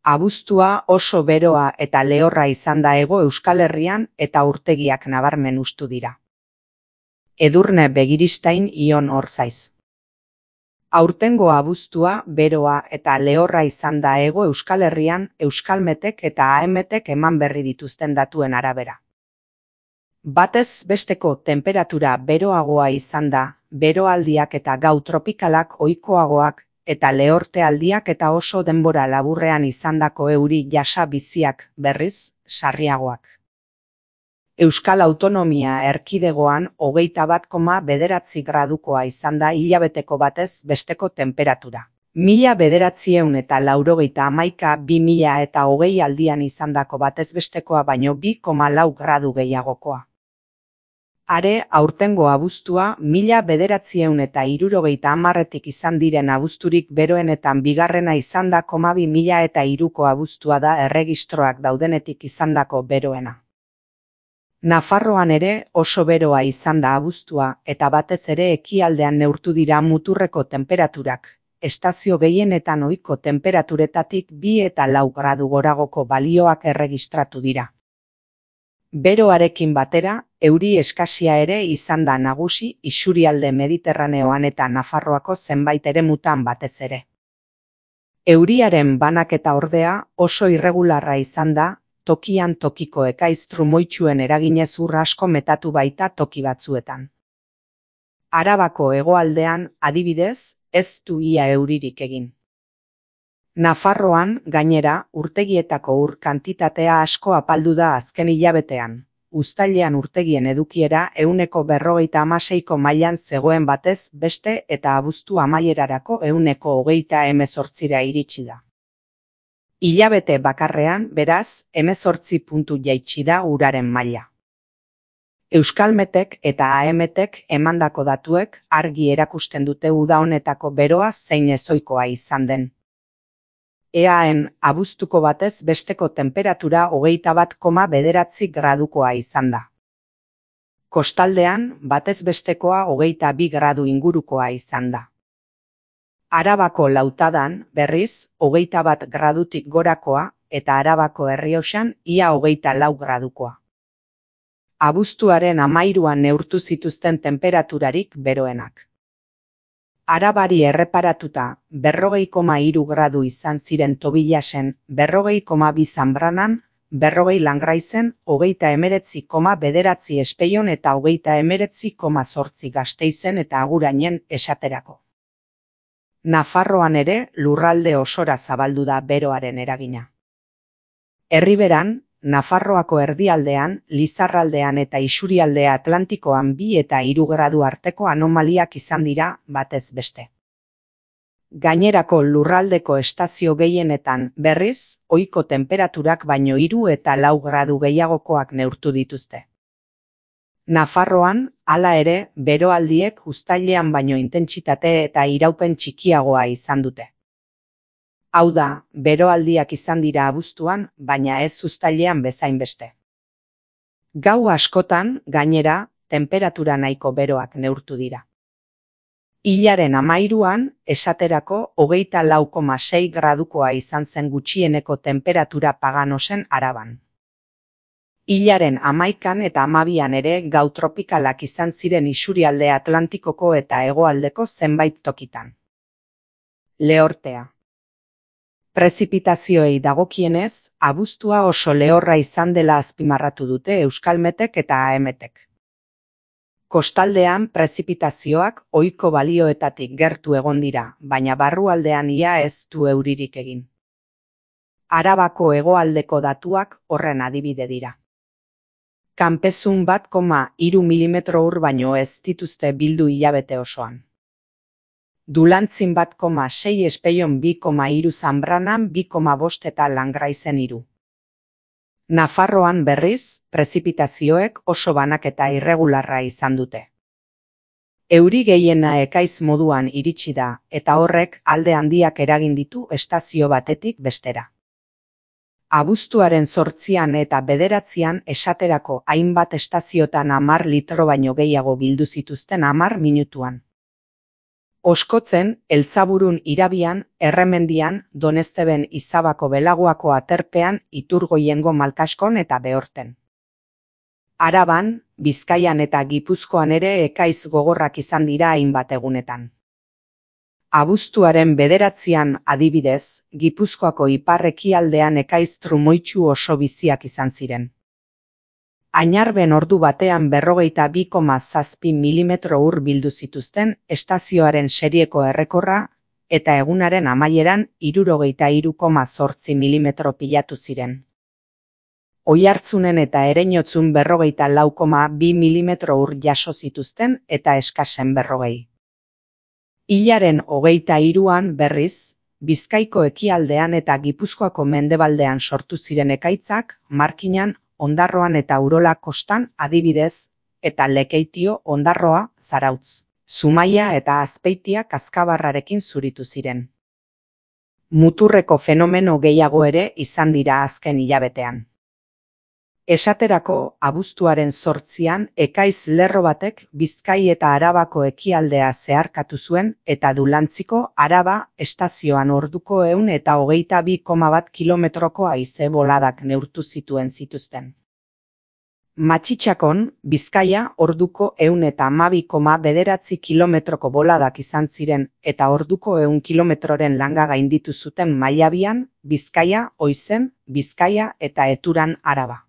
Abuztua oso beroa eta lehorra izan da Hego Euskal Herrian eta urtegiak nabarmen hustu dira. Edurne Begiristain Ion Orzaiz. Aurtengo abuztua beroa eta lehorra izan da Hego Euskal Herrian Euskalmetek eta AEMetek eman berri dituzten datuen arabera. Batez besteko tenperatura beroagoa izan da, beroaldiak eta gau tropikalak ohikoagoak, eta lehortealdiak eta oso denbora laburrean izandako euri jasa biziak, berriz, sarriagoak. Euskal Autonomia Erkidegoan 21,9 gradukoa izan da hilabeteko batez besteko tenperatura. 1991 2020 aldian izandako batez bestekoa baino 2,4 gradu gehiagokoa. Are, aurtengo abuztua 1970etik izan diren abuzturik beroenetan bigarrena izan da 2003ko abuztua da erregistroak daudenetik izandako beroena. Nafarroan ere oso beroa izan da abuztua eta batez ere ekialdean neurtu dira muturreko tenperaturak, estazio gehienetan ohiko tenperaturetatik 2 eta 4 gradu goragoko balioak erregistratu dira. Beroarekin batera, euri eskasia ere izan da nagusi isurialde Mediterraneoan eta Nafarroako zenbait eremutan batez ere. Euriaren banaketa ordea oso irregularra izan da, tokian tokiko ekaiz trumoitsuen eraginez ur asko metatu baita toki batzuetan. Arabako hegoaldean, adibidez, ez du ia euririk egin. Nafarroan, gainera, urtegietako ur kantitatea asko apaldu da azken hilabetean. Uztailean urtegien edukiera 156ko mailan zegoen batez beste eta abuztu amaierarako 128ra iritsi da. Hilabete bakarrean, beraz, 18 puntu jaitsi da uraren maila. Euskalmetek eta AEMetek emandako datuek argi erakusten dute uda honetako beroa zein ezohikoa izan den. EAen abuztuko batez besteko tenperatura 21,9 gradukoa izan da. Kostaldean batez bestekoa 22 gradu ingurukoa izan da. Arabako Lautadan, berriz, 21 gradutik gorakoa eta Arabako Errioxan ia 24 gradukoa. Abuztuaren 13an neurtu zituzten temperaturarik beroenak. Arabari erreparatuta 40,3 gradu izan ziren Tobillasen, 40,2 Zanbranan, 40 Langraizen, 39,9 Espeion eta 39,8 Gasteizen eta Agurainen esaterako. Nafarroan ere lurralde osora zabaldu da beroaren eragina. Erriberan, Nafarroako erdialdean, Lizarraldean eta Isurialde Atlantikoan 2 eta 3 gradu arteko anomaliak izan dira batez beste. Gainerako lurraldeko estazio gehienetan, berriz, ohiko tenperaturak baino 3 eta 4 gradu gehiagokoak neurtu dituzte. Nafarroan, hala ere, beroaldiek uztailean baino intentsitate eta iraupen txikiagoa izan dute. Hau da, beroaldiak izan dira abuztuan, baina ez uztailean bezain beste. Gau askotan, gainera, tenperatura nahiko beroak neurtu dira. Hilaren 13an, esaterako 24,6 gradukoa izan zen gutxieneko tenperatura Paganosen Araban. Hilaren 11an eta 12an ere gau tropikalak izan ziren Isurialde Atlantikoko eta hegoaldeko zenbait tokitan. Lehortea. Prezipitazioei dagokienez, abuztua oso lehorra izan dela azpimarratu dute Euskalmetek eta AEMetek. Kostaldean prezipitazioak ohiko balioetatik gertu egon dira, baina barrualdean ia ez du euririk egin. Arabako hegoaldeko datuak horren adibide dira. Kanpezun 1,3 milimetro ur baino ez dituzte bildu hilabete osoan. Dulantzin 1,6 Espeion 2,3 Zanbranan 2,5 eta Langraizen 3. Nafarroan berriz, prezipitazioek oso banaketa irregularra izan dute. Euri gehiena ekaiz moduan iritsi da, eta horrek alde handiak eragin ditu estazio batetik bestera. Abuztuaren 8an eta 9an esaterako hainbat estaziotan 10 litro baino gehiago bildu zituzten 10 minutuan. Oskotzen, Eltzaburun Irabian, Erremendian, Donezteben Izabako Belaguako Aterpean, Iturgoiengo Malkaskon eta Behorten. Araban, Bizkaian eta Gipuzkoan ere ekaiz gogorrak izan dira hainbat egunetan. Abuztuaren 9an adibidez, Gipuzkoako ipar-ekialdean ekaiz trumoitsu oso biziak izan ziren. Añarben ordu batean 42,7 milimetro ur bildu zituzten estazioaren serieko errekorra eta egunaren amaieran 63,8 milimetro pilatu ziren. Oiartzunen eta Ereinotzun 44,2 milimetro ur jaso zituzten eta eskasen 40. Hilaren 23an berriz, Bizkaiko ekialdean eta Gipuzkoako mendebaldean sortu ziren ekaitzak, Markinan, Ondarroan eta Urola kostan adibidez, eta Lekeitio, Ondarroa, Zarautz, Zumaia eta Azpeitia Kazkabarrarekin zuritu ziren. Muturreko fenomeno gehiago ere izan dira azken hilabetean. Esaterako, abuztuaren 8an ekaiz lerro batek Bizkai eta Arabako ekialdea zeharkatu zuen eta Dulantziko Araba estazioan orduko 122,1 kilometroko haize boladak neurtu zituzten. Matxitxakon, Bizkaia orduko 112,9 kilometroko boladak izan ziren eta orduko 100 kilometroren langa gainditu zuten Maiabian, Bizkaia, Oizen, Bizkaia eta Eturan Araba.